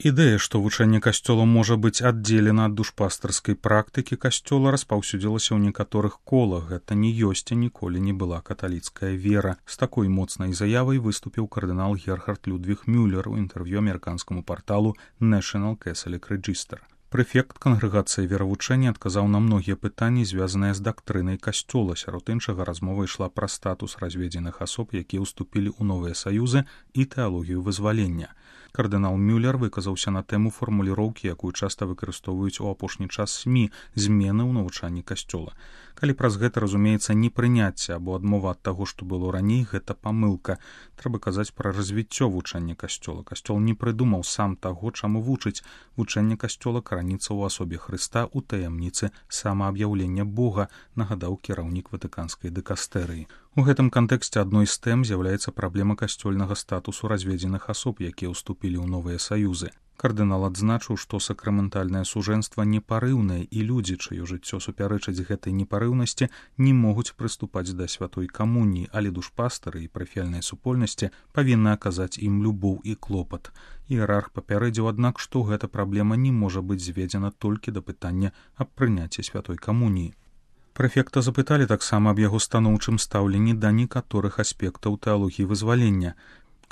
Ідэя, што вучэнне касцёла можа быць аддзелена ад душпастарскай практыкі касцёла, распаўсюдзілася ў некаторых колах. Гэта не ёсць і ніколі не была каталіцкая вера. З такой моцнай заявай выступіў кардынал Герхард Людвіг Мюллер у інтэрв'ю амерыканскаму парталу National Catholic Register. Прэфект кангрэгацыі веравучэння адказаў на многія пытанні, звязаныя з дактрынай касцёла. Сярод іншага размова ішла пра статус разведзеных асоб, якія ўступілі ў новыя саюзы, і тэалогію вызвалення. Кардынал Мюллер выказаўся на тэму фармуліроўкі, якую часта выкарыстоўваюць у апошні час СМІ, змены ў навучанні касцёла. Калі праз гэта разумеецца непрыняцце або адмова ад таго, што было раней, гэта памылка. Трэба казаць пра развіццё вучання касцёла. Касцёл не прыдумаў сам таго, чаму вучыць. Вучэнне касцёла караніцца ў асобе Хрыста ў таямніцы самааб'яўлення Бога, нагадаў кіраўнік ватыканскай дыкастэрыі. У гэтым кантэксце адной з тэм з'яўляецца праблема касцёльнага статусу разведзеных асоб, якія ўступілі ў новыя саюзы. Кардынал адзначыў, што сакраментальнае сужэнства непарыўнае, і людзі, чыё жыццё супярэчыць гэтай непарыўнасці, не могуць прыступаць да святой камуніі, але душпастары і парафіяльныя супольнасці павінны аказаць ім любоў і клопат. Іерарх папярэдзіў, аднак, што гэта праблема не можа быць зведзена толькі да пытання аб прыняцці святой камуніі. Прэфекта запыталі таксама аб яго станоўчым стаўленні да некаторых аспектаў тэалогіі вызвалення.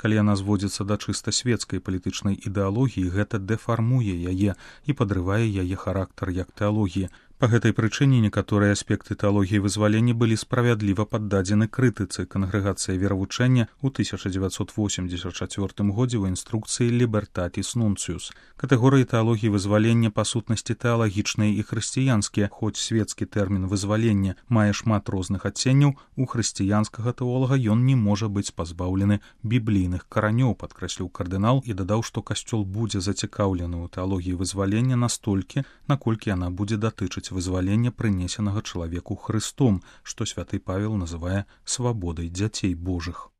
Калі яна зводзіцца да чыста свецкай палітычнай ідэалогіі, гэта дэфармуе яе і падрывае яе характар як тэалогіі. Па гэтай прычыне некаторыя аспекты тэалогіі вызвалення былі справядліва паддадзены крытыцы. Кангрэгацыя веравучэння ў 1984 годзе ў інструкцыі «Libertatis Nuncius». Катэгорыі тэалогіі вызвалення па сутнасці тэалагічныя і хрысціянскія, хоць свецкі тэрмін вызвалення мае шмат розных адценняў, у хрысціянскага тэолага ён не можа быць пазбаўлены біблійных каранёў, падкрэсліў кардынал і дадаў, што касцёл будзе зацікаўлены ў тэалогіі вызвалення настолькі, наколькі яна будзе датычыць вызвалення прынесенага чалавеку Хрыстом, што святы Павел называе свабодай дзяцей Божых.